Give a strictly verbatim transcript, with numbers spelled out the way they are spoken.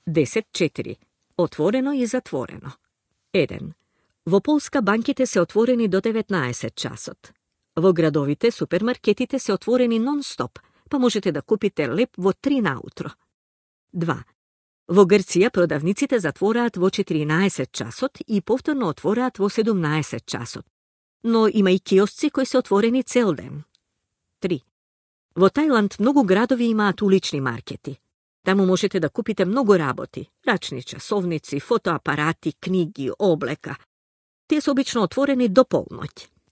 десет четири. Отворено и затворено. еден. Во Полска банките се отворени до деветнаесет часот. Во градовите супермаркетите се отворени нон-стоп, па можете да купите леп во три наутро. два. Во Грција продавниците затвораат во четиринаесет часот и повторно отвораат во седумнаесет часот, но има и киосци кои се отворени цел ден. три. Во Тајланд многу градови имаат улични маркети. Таму можете да купите многу работи, рачни часовници, фотоапарати, книги, облека. Тие се обично отворени до полноќ.